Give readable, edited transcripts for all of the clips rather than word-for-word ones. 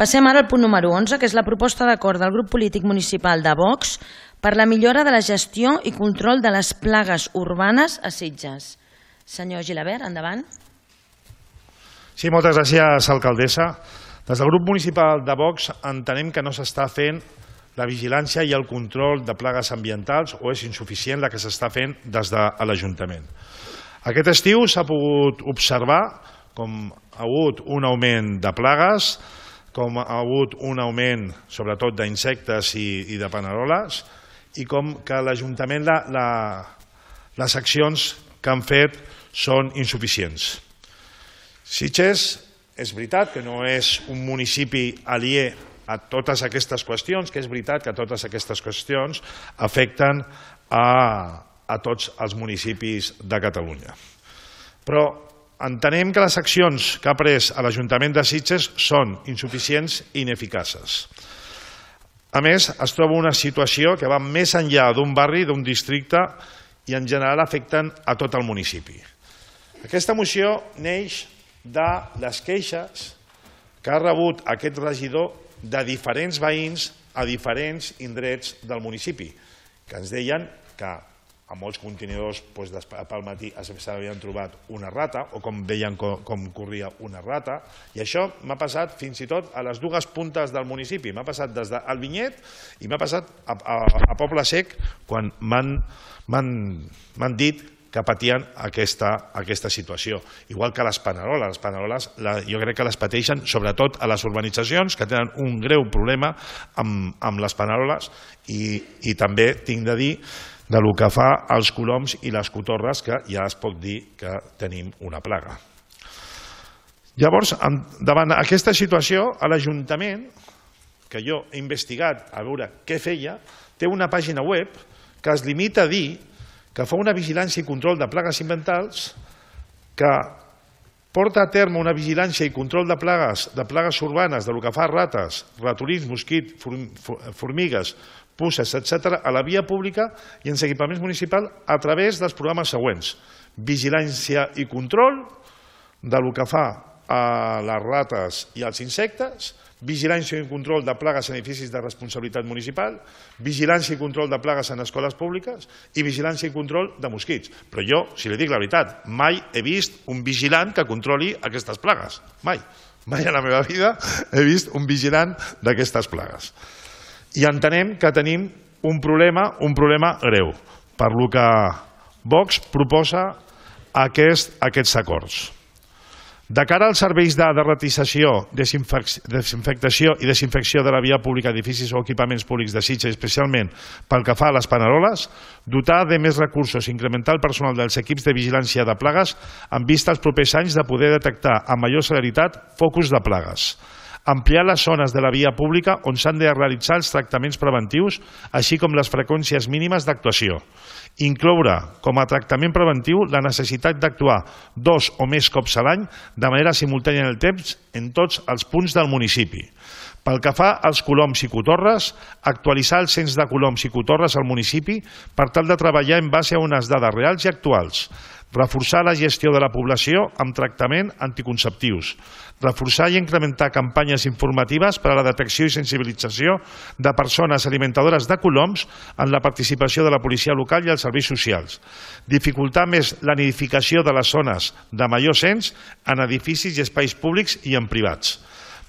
Passem ara al punt número 11, que és la proposta d'acord del grup polític municipal de Vox per la millora de la gestió i control de les plagues urbanes a Sitges. Senyor Gilabert, endavant. Sí, moltes gràcies, alcaldessa. Des del grup municipal de Vox entenem que no s'està fent la vigilància i el control de plagues ambientals o és insuficient la que s'està fent des de l'Ajuntament. Aquest estiu s'ha pogut observar com ha hagut un augment de plagues, com ha hagut un augment sobretot d'insectes i de paneroles i com que l'Ajuntament les accions que han fet són insuficients. Sitges és veritat que no és un municipi aliè a totes aquestes qüestions, que és veritat que totes aquestes qüestions afecten a tots els municipis de Catalunya. Però entenem que les accions que ha pres l'Ajuntament de Sitges són insuficients i ineficaces. A més, es troba una situació que va més enllà d'un barri, d'un districte i en general afecten a tot el municipi. Aquesta moció neix de les queixes que ha rebut aquest regidor de diferents veïns a diferents indrets del municipi, que ens deien que a molts contenidors pel matí s'havien trobat una rata, o com deien com corria una rata, i això m'ha passat fins i tot a les dues puntes del municipi. M'ha passat des del Vinyet i m'ha passat a Poble Sec quan m'han dit que patien aquesta situació. Igual que les paneroles. Les paneroles jo crec que les pateixen sobretot a les urbanitzacions, que tenen un greu problema amb les paneroles, i també tinc de dir de lo que fa als coloms i les cotorres, que ja es pot dir que tenim una plaga. Llavors, davant aquesta situació, l'Ajuntament, que jo he investigat a veure què feia, té una pàgina web que es limita a dir que fa una vigilància i control de plagues ambientals, que porta a terme una vigilància i control de plagues urbanes, de lo que fa rates, ratolins, mosquits, formigues, puces, etc., a la via pública i en els equipaments municipals a través dels programes següents: vigilància i control de lo que fa a les rates i als insectes, vigilància i control de plagues en edificis de responsabilitat municipal, vigilància i control de plagues en escoles públiques i vigilància i control de mosquits. Però jo, si li dic la veritat, mai he vist un vigilant que controli aquestes plagues. Mai. Mai a la meva vida he vist un vigilant d'aquestes plagues. I entenem que tenim un problema greu, per lo que Vox proposa aquests acords. De cara als serveis de derratització, desinfectació i desinfecció de la via pública d'edificis o equipaments públics de Sitges, especialment pel que fa a les paneroles, dotar de més recursos i incrementar el personal dels equips de vigilància de plagues en vista als propers anys de poder detectar amb major celeritat focus de plagues. Ampliar les zones de la via pública on s'han de realitzar els tractaments preventius, així com les freqüències mínimes d'actuació. Incloure com a tractament preventiu la necessitat d'actuar 2 o més cops a l'any de manera simultània en el temps en tots els punts del municipi. Pel que fa als coloms i cotorres, actualitzar el cens de coloms i cotorres al municipi per tal de treballar en base a unes dades reals i actuals, reforçar la gestió de la població amb tractament anticonceptius, reforçar i incrementar campanyes informatives per a la detecció i sensibilització de persones alimentadores de coloms en la participació de la policia local i els serveis socials, dificultar més la nidificació de les zones de major cens en edificis i espais públics i en privats.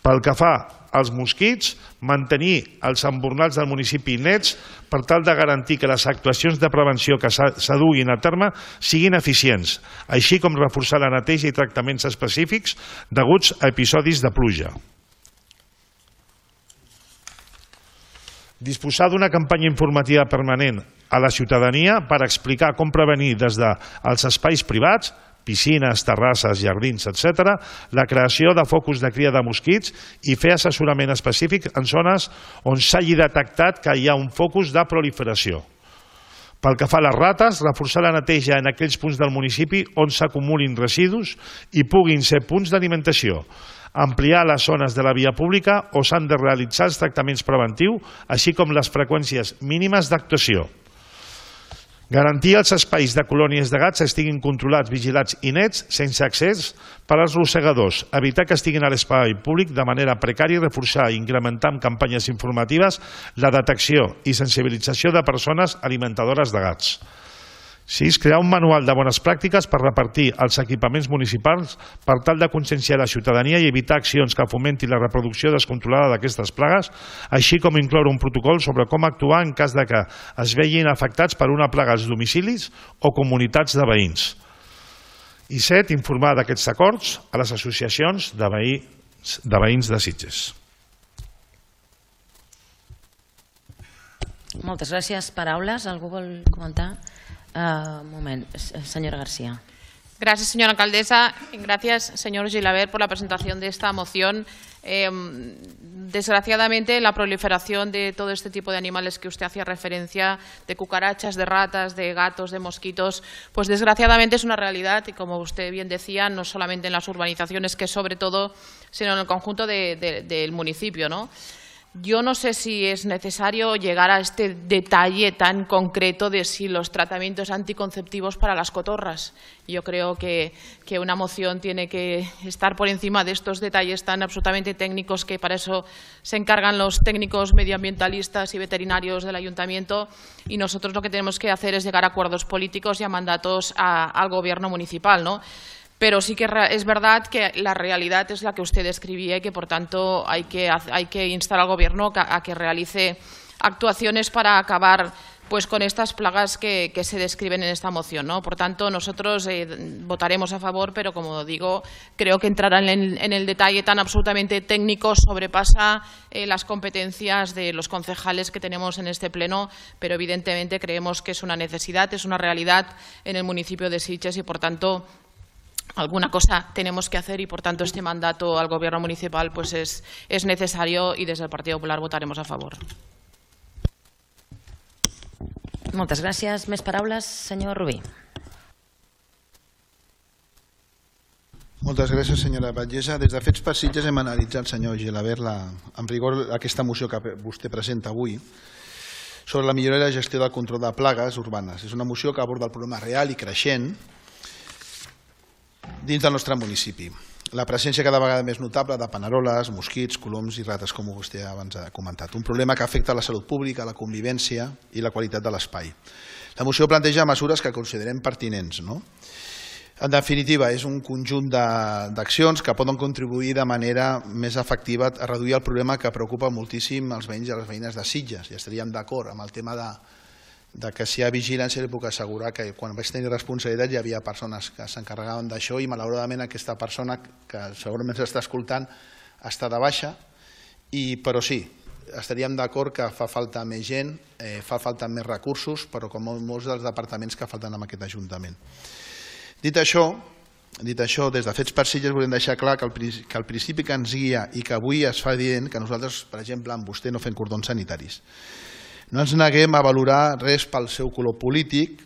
Pel que fa als mosquits, mantenir els embornals del municipi nets per tal de garantir que les actuacions de prevenció que s'aduguin a terme siguin eficients, així com reforçar la neteja i tractaments específics deguts a episodis de pluja. Disposar d'una campanya informativa permanent a la ciutadania per explicar com prevenir des dels espais privats, piscines, terrasses, jardins, etc., la creació de focus de cria de mosquits i fer assessorament específic en zones on s'hagi detectat que hi ha un focus de proliferació. Pel que fa a les rates, reforçar la neteja en aquells punts del municipi on s'acumulin residus i puguin ser punts d'alimentació, ampliar les zones de la via pública on s'han de realitzar els tractaments preventius, així com les freqüències mínimes d'actuació. Garantir els espais de colònies de gats estiguin controlats, vigilats i nets, sense accés per als rosegadors. Evitar que estiguin a l'espai públic de manera precària i reforçar i incrementar amb campanyes informatives la detecció i sensibilització de persones alimentadores de gats. 6. Crear un manual de bones pràctiques per repartir els equipaments municipals per tal de conscienciar la ciutadania i evitar accions que fomentin la reproducció descontrolada d'aquestes plagues, així com incloure un protocol sobre com actuar en cas de que es vegin afectats per una plaga als domicilis o comunitats de veïns. I 7. Informar d'aquests acords a les associacions de veïns de Sitges. Moltes gràcies. Paraules? Algú vol comentar? Un moment, señora García. Gracias, señora alcaldesa. Gracias, señor Gilabert, por la presentación de esta moción. Desgraciadamente, la proliferación de todo este tipo de animales que usted hacía referencia, de cucarachas, de ratas, de gatos, de mosquitos, pues desgraciadamente es una realidad y, como usted bien decía, no solamente en las urbanizaciones, que sobre todo, sino en el conjunto del municipio, ¿no? Yo no sé si es necesario llegar a este detalle tan concreto de si los tratamientos anticonceptivos para las cotorras. Yo creo que una moción tiene que estar por encima de estos detalles tan absolutamente técnicos, que para eso se encargan los técnicos medioambientalistas y veterinarios del ayuntamiento, y nosotros lo que tenemos que hacer es llegar a acuerdos políticos y a mandatos al gobierno municipal, ¿no? Pero sí que es verdad que la realidad es la que usted describía y que, por tanto, hay que instar al Gobierno a que realice actuaciones para acabar pues con estas plagas que se describen en esta moción, ¿no? Por tanto, nosotros votaremos a favor, pero, como digo, creo que entrar en el detalle tan absolutamente técnico sobrepasa las competencias de los concejales que tenemos en este pleno, pero evidentemente creemos que es una necesidad, es una realidad en el municipio de Sitges y, por tanto, alguna cosa tenemos que hacer, y por tanto este mandato al Gobierno municipal pues es necesario, y desde el Partido Popular votaremos a favor. Moltes gràcies. Més paraules, senyor Rubí. Moltes gràcies, senyora Batllessa. Des de Fets per Sitges hem analitzat, senyor Gilabert, en rigor aquesta moció que vostè presenta avui sobre la millora de la gestió del control de plagues urbanes. És una moció que aborda el problema real i creixent dins del nostre municipi. La presència cada vegada més notable de paneroles, mosquits, coloms i rates, com vostè abans ha comentat. Un problema que afecta la salut pública, la convivència i la qualitat de l'espai. La moció planteja mesures que considerem pertinents, no? En definitiva, és un conjunt d'accions que poden contribuir de manera més efectiva a reduir el problema que preocupa moltíssim els veïns i les veïnes de Sitges. Ja estaríem d'acord amb el tema de que si hi ha vigilància, li puc assegurar que quan vaig tenir responsabilitat hi havia persones que s'encarregaven d'això, i malauradament aquesta persona, que segurament s'està escoltant, està de baixa, però sí, estaríem d'acord que fa falta més gent, fa falta més recursos, però com molts dels departaments que falten en aquest Ajuntament. Dit això, des de Fets per Sitges volem deixar clar que el principi que ens guia i que avui es fa evident que nosaltres, per exemple, amb vostè no fem cordons sanitaris. No ens neguem a valorar res pel seu color polític,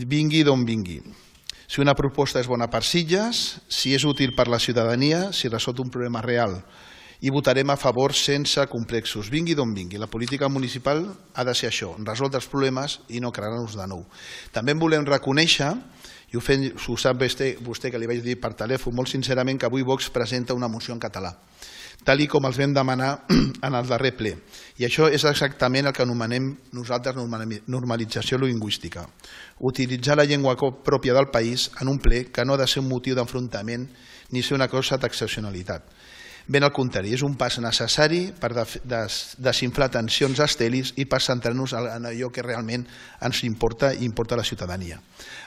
vingui d'on vingui. Si una proposta és bona per Sitges, si és útil per la ciutadania, si resol un problema real, i votarem a favor sense complexos, vingui d'on vingui. La política municipal ha de ser això, resoldre els problemes i no crear-nos de nou. També volem reconèixer, i ho sap vostè que li vaig dir per telèfon molt sincerament, que avui Vox presenta una moció en català, tal com els vam demanar en el darrer ple. I això és exactament el que anomenem nosaltres normalització lingüística. Utilitzar la llengua pròpia del país en un ple que no ha de ser un motiu d'enfrontament ni ser una cosa d'excepcionalitat. Ben al contrari, és un pas necessari per desinflar tensions estèrils i per centrar-nos en allò que realment ens importa i importa a la ciutadania.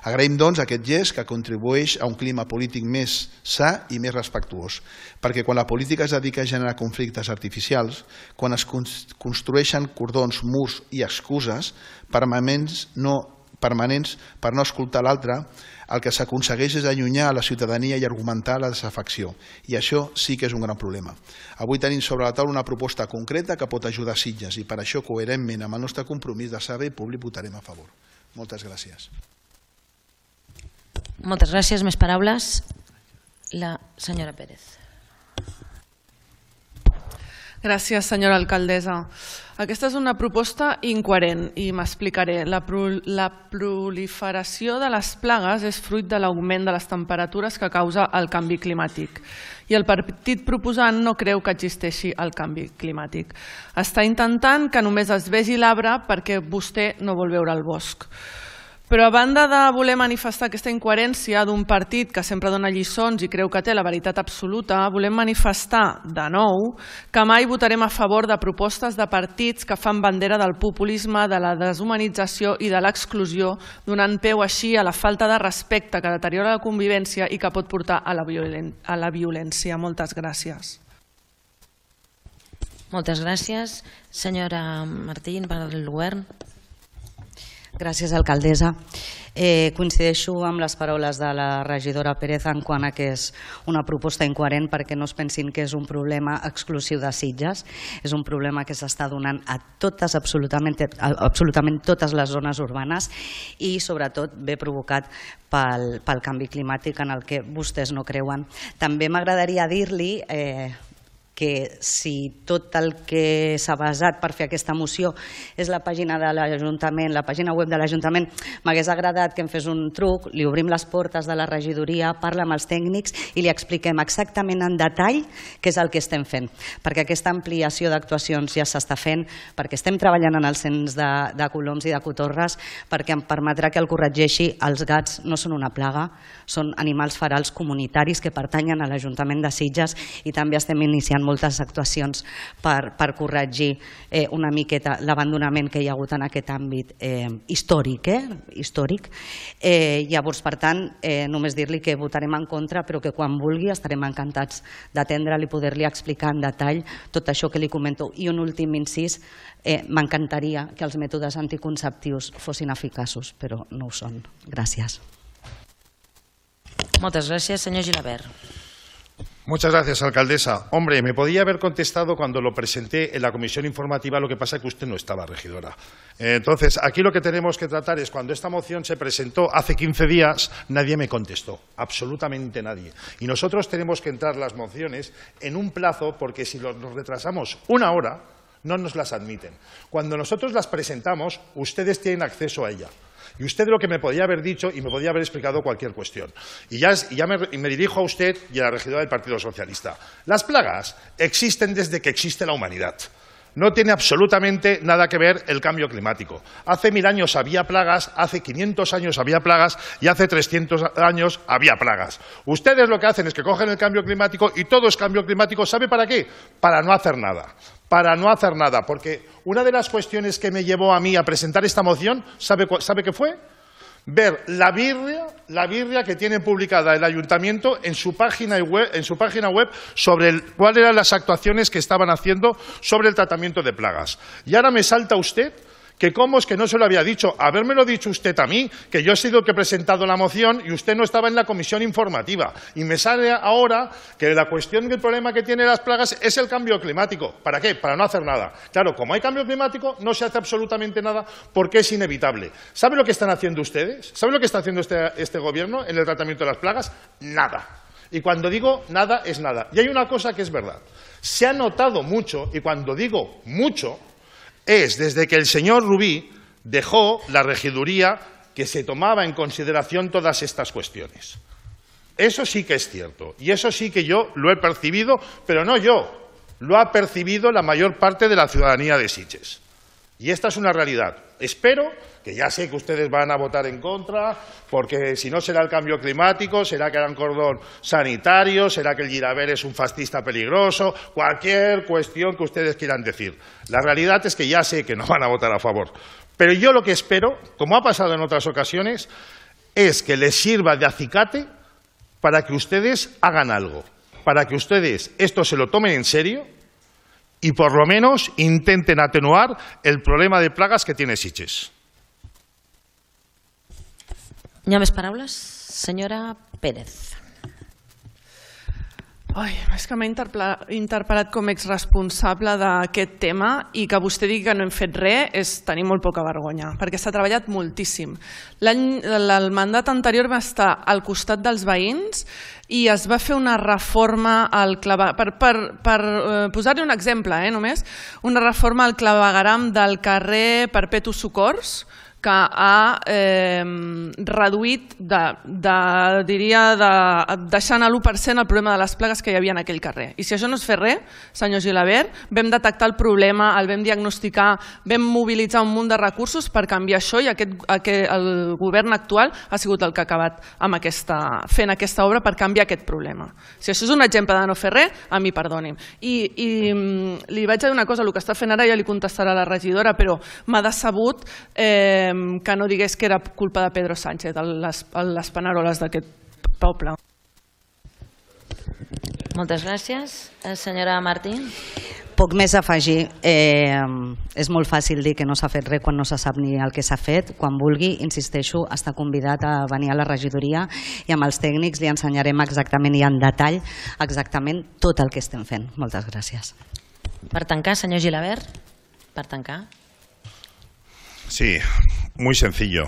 Agraïm, doncs, aquest gest que contribueix a un clima polític més sa i més respectuós, perquè quan la política es dedica a generar conflictes artificials, quan es construeixen cordons, murs i excuses permanents per no escoltar l'altre, el que s'aconsegueix és allunyar a la ciutadania i argumentar la desafecció. I això sí que és un gran problema. Avui tenim sobre la taula una proposta concreta que pot ajudar Sitges, i per això, coherentment amb el nostre compromís de servei públic, votarem a favor. Moltes gràcies. Moltes gràcies. Més paraules? La senyora Pérez. Gràcies, senyora alcaldessa. Aquesta és una proposta incoherent i m'explicaré. La proliferació de les plagues és fruit de l'augment de les temperatures que causa el canvi climàtic. I el partit proposant no creu que existeixi el canvi climàtic. Està intentant que només es vegi l'arbre perquè vostè no vol veure el bosc. Però a banda de voler manifestar aquesta incoherència d'un partit que sempre dona lliçons i creu que té la veritat absoluta, volem manifestar de nou que mai votarem a favor de propostes de partits que fan bandera del populisme, de la deshumanització i de l'exclusió, donant peu així a la falta de respecte que deteriora la convivència i que pot portar a la violència. Moltes gràcies. Moltes gràcies. Senyora Martín, per al govern. Gràcies, alcaldessa. Coincideixo amb les paraules de la regidora Pérez en quant a que és una proposta incoherent, perquè no es pensin que és un problema exclusiu de Sitges, és un problema que s'està donant a totes, absolutament totes les zones urbanes i sobretot ve provocat pel canvi climàtic en el que vostès no creuen. També m'agradaria dir-li que si tot el que s'ha basat per fer aquesta moció és la pàgina de l'Ajuntament, la pàgina web de l'Ajuntament, m'hagués agradat que em fes un truc, li obrim les portes de la regidoria, parla amb els tècnics i li expliquem exactament en detall què és el que estem fent, perquè aquesta ampliació d'actuacions ja s'està fent, perquè estem treballant en el cens de coloms i de cotorres, perquè em permetrà que el corregeixi. Els gats no són una plaga, són animals ferals comunitaris que pertanyen a l'Ajuntament de Sitges i també estem iniciant moltes actuacions per corregir una miqueta l'abandonament que hi ha hagut en aquest àmbit històric. Llavors, per tant, només dir-li que votarem en contra, però que quan vulgui estarem encantats d'atendre'l i poder-li explicar en detall tot això que li comento. I un últim incís, m'encantaria que els mètodes anticonceptius fossin eficaços, però no ho són. Gràcies. Moltes gràcies. Senyor Gilabert. Muchas gracias, alcaldesa. Hombre, me podía haber contestado cuando lo presenté en la comisión informativa, lo que pasa es que usted no estaba, regidora. Entonces, aquí lo que tenemos que tratar es, cuando esta moción se presentó hace 15 días, nadie me contestó, absolutamente nadie. Y nosotros tenemos que entrar las mociones en un plazo, porque si nos retrasamos una hora, no nos las admiten. Cuando nosotros las presentamos, ustedes tienen acceso a ella. Y usted lo que me podía haber dicho y me podía haber explicado cualquier cuestión. Y ya me dirijo a usted y a la regidora del Partido Socialista. Las plagas existen desde que existe la humanidad. No tiene absolutamente nada que ver el cambio climático. Hace 1000 años había plagas, hace 500 años había plagas y hace 300 años había plagas. Ustedes lo que hacen es que cogen el cambio climático y todo es cambio climático. ¿Sabe para qué? Para no hacer nada. Para no hacer nada, porque una de las cuestiones que me llevó a mí a presentar esta moción, ¿sabe qué fue? Ver la birria que tiene publicada el Ayuntamiento en su página web sobre cuáles eran las actuaciones que estaban haciendo sobre el tratamiento de plagas. Y ahora me salta usted que cómo es que no se lo había dicho. Habérmelo dicho usted a mí, que yo he sido el que he presentado la moción y usted no estaba en la comisión informativa. Y me sale ahora que la cuestión del problema que tienen las plagas es el cambio climático. ¿Para qué? Para no hacer nada. Claro, como hay cambio climático, no se hace absolutamente nada porque es inevitable. ¿Sabe lo que están haciendo ustedes? ¿Sabe lo que está haciendo este gobierno en el tratamiento de las plagas? Nada. Y cuando digo nada, es nada. Y hay una cosa que es verdad. Se ha notado mucho, y cuando digo mucho, es desde que el señor Rubí dejó la regiduría que se tomaba en consideración todas estas cuestiones. Eso sí que es cierto, y eso sí que yo lo he percibido, pero no yo, lo ha percibido la mayor parte de la ciudadanía de Sitges. Y esta es una realidad. Espero, que ya sé que ustedes van a votar en contra, porque si no será el cambio climático, será que hará un cordón sanitario, será que el Gilabert es un fascista peligroso, cualquier cuestión que ustedes quieran decir. La realidad es que ya sé que no van a votar a favor. Pero yo lo que espero, como ha pasado en otras ocasiones, es que les sirva de acicate para que ustedes hagan algo, para que ustedes esto se lo tomen en serio y por lo menos intenten atenuar el problema de plagas que tiene Sitges. Hi ha més paraules? Senyora Pérez. És que m'ha interpel·lat com a exresponsable d'aquest tema i que vostè digui que no hem fet res és tenir molt poca vergonya, perquè s'ha treballat moltíssim. El mandat anterior va estar al costat dels veïns i es va fer una reforma al clavegueram, per posar-li un exemple, només, una reforma al clavegueram del carrer Perpetu Socors, que ha reduït, deixant a l'1% el problema de les plagues que hi havia en aquell carrer. I si això no es fer res, senyor Gilabert, vam detectar el problema, el vam diagnosticar, vam mobilitzar un munt de recursos per canviar això i el govern actual ha sigut el que ha acabat fent aquesta obra per canviar aquest problema. Si això és un exemple de no fer res, a mi perdoni'm. I li vaig dir una cosa, el que està fent ara ja li contestarà la regidora, però m'ha decebut que no digués que era culpa de Pedro Sánchez, les paneroles d'aquest poble. Moltes gràcies. Senyora Martín. Poc més a afegir. És molt fàcil dir que no s'ha fet res quan no se sap ni el que s'ha fet. Quan vulgui, insisteixo, està convidat a venir a la regidoria i amb els tècnics li ensenyarem exactament i en detall exactament tot el que estem fent. Moltes gràcies. Per tancar, senyor Gilabert. Per tancar. Sí, muy sencillo.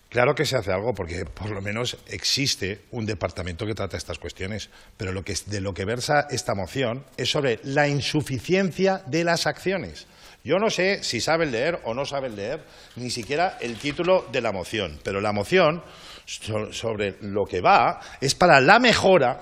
Claro que se hace algo porque por lo menos existe un departamento que trata estas cuestiones, pero de lo que versa esta moción es sobre la insuficiencia de las acciones. Yo no sé si saben leer o no saben leer ni siquiera el título de la moción, pero la moción sobre lo que va es para la mejora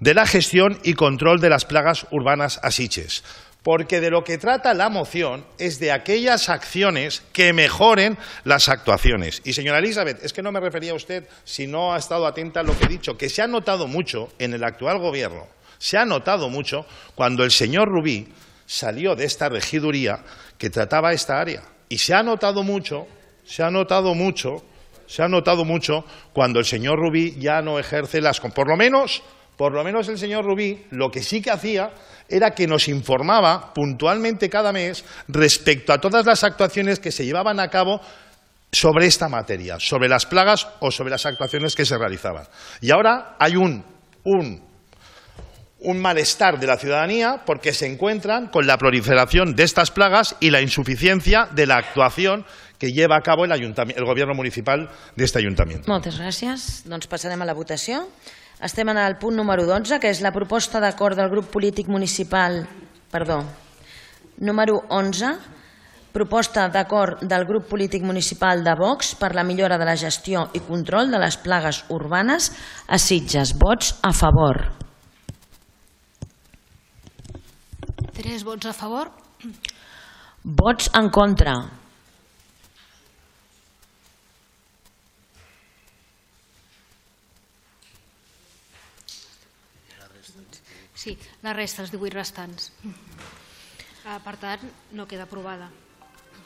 de la gestión y control de las plagas urbanas a Sitges. Porque de lo que trata la moción es de aquellas acciones que mejoren las actuaciones. Y señora Elizabeth, es que no me refería a usted si no ha estado atenta a lo que he dicho, que se ha notado mucho en el actual gobierno, se ha notado mucho cuando el señor Rubí salió de esta regiduría que trataba esta área. Y se ha notado mucho cuando el señor Rubí ya no ejerce por lo menos el señor Rubí lo que sí que hacía era que nos informaba puntualmente cada mes respecto a todas las actuaciones que se llevaban a cabo sobre esta materia, sobre las plagas o sobre las actuaciones que se realizaban. Y ahora hay un malestar de la ciudadanía porque se encuentran con la proliferación de estas plagas y la insuficiencia de la actuación que lleva a cabo el gobierno municipal de este ayuntamiento. Moltes gràcies. Doncs passarem a la votació. Estem en el punt número 12, que és la proposta d'acord del grup polític municipal... Número 11, proposta d'acord del grup polític municipal de Vox per la millora de la gestió i control de les plagues urbanes a Sitges. Vots a favor. 3 vots a favor. Vots en contra. Sí, la resta, els 18 restants. Per tant, no queda aprovada.